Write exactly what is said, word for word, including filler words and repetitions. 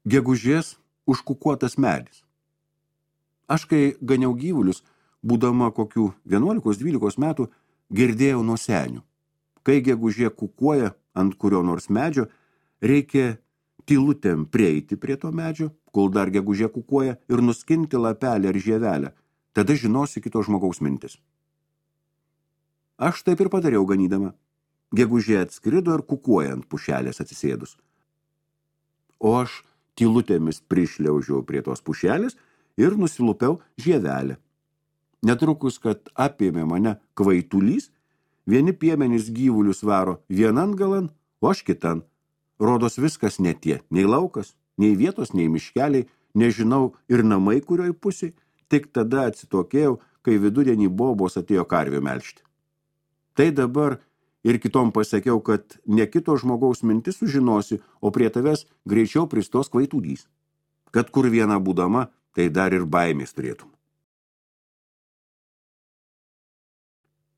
Gegužės užkukuotas medis. Aš, kai ganiau gyvulius, būdama kokių vienuolikos dvylikos metų, girdėjau nuo senių. Kai gegužė kukuoja ant kurio nors medžio, reikia tylutėm prieiti prie to medžio, kol dar gegužė kukuoja, ir nuskinti lapelį ar žievelę. Tada žinosi kito žmogaus mintis. Aš taip ir padariau ganydama. Gegužė atskrido ir kukuoja ant pušelės atsisėdus. O aš tylutėmis prišliaužiau prie tos pušelės ir nusilupiau žievelę. Netrukus, kad apėmė mane kvaitulys, vieni piemenys gyvulius varo vienan galan, o aš kitan. Rodos viskas ne tie, nei laukas, nei vietos, nei miškeliai, nežinau ir namai kurioj pusėj, tik tada atsitokėjau, kai vidudienį bobos atėjo karvių melžti. Tai dabar ir kitom pasakiau, kad ne kito žmogaus mintis sužinosi, o prie tavęs greičiau pristos kvaitulys. Kad kur viena būdama, tai dar ir baimės turėtum.